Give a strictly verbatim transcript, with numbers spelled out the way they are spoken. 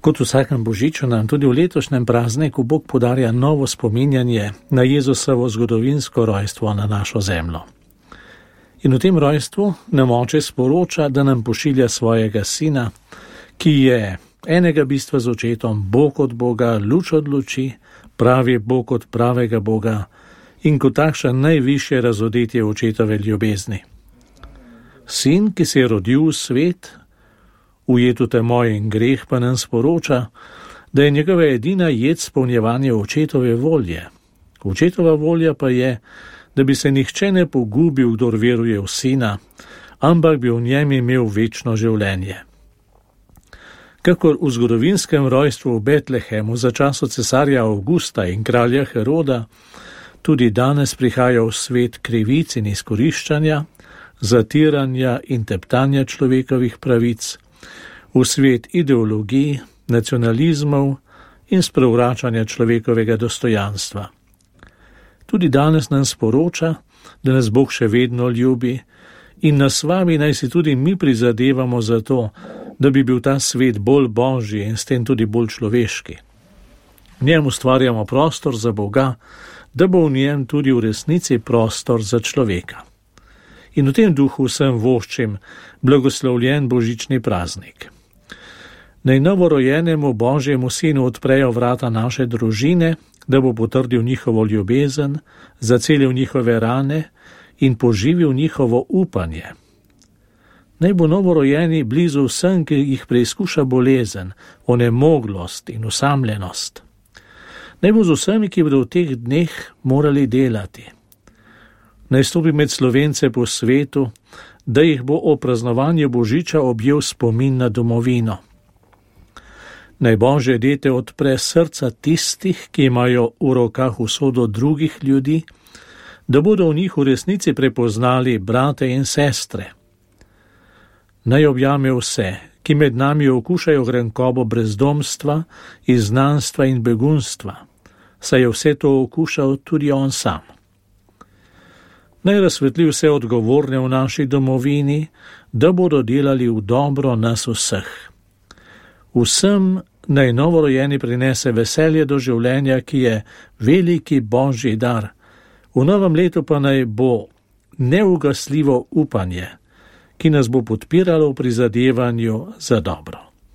Kot v vsakem božiču nam tudi v letošnjem prazniku Bog podarja novo spominjanje na Jezusovo zgodovinsko rojstvo na našo zemljo. In v tem rojstvu nam Oče sporoča, da nam pošilja svojega sina, ki je enega bistva z očetom, Bog od Boga, luč od luči, pravi Bog od pravega Boga in kot takšen najvišje razodetje očetove ljubezni. Sin, ki se je rodil v svet, ujet v temo in greh, pa nam sporoča, da je njegova edina jed spolnjevanje očetove volje. Očetova volja pa je, da bi se nihče ne pogubil, kdor veruje v sina, ampak bi v njem imel večno življenje. Kakor v zgodovinskem rojstvu v Betlehemu za času cesarja Avgusta in kralja Heroda, tudi danes prihaja v svet krivic in izkoriščanja, zatiranja in teptanja človekovih pravic, v svet ideologij, nacionalizmov in sprevračanja človekovega dostojanstva. Tudi danes nam sporoča, da nas Bog še vedno ljubi in nas vabi, naj si tudi mi prizadevamo za to, da bi bil ta svet bolj božji in s tem tudi bolj človeški. V njem ustvarjamo prostor za Boga, da bo v njem tudi v resnici prostor za človeka. In v tem duhu vsem voščim blagoslovljen božični praznik. Naj novorojenemu Božjemu sinu odprejo vrata naše družine, da bo potrdil njihovo ljubezen, zacelil njihove rane in poživil njihovo upanje. Naj bo novorojeni blizu vsem, ki jih preizkuša bolezen, onemoglost in osamljenost. Naj bo z vsemi, ki bodo v teh dneh morali delati. Naj stopi med Slovence po svetu, da jih bo o praznovanju božiča objel spomin na domovino. Naj Božje dete odpre srca tistih, ki imajo v rokah usodo drugih ljudi, da bodo v njih v resnici prepoznali brate in sestre. Naj objame vse, ki med nami okušajo grenkobo brezdomstva, izgnanstva in begunstva, saj je vse to okušal tudi on sam. Naj razsvetli vse odgovorne v naši domovini, da bodo delali v dobro nas vseh. Vsem naj novorojeni prinese veselje do življenja, ki je veliki Božji dar. V novem letu pa naj bo neugasljivo upanje, ki nas bo podpiralo v prizadevanju za dobro.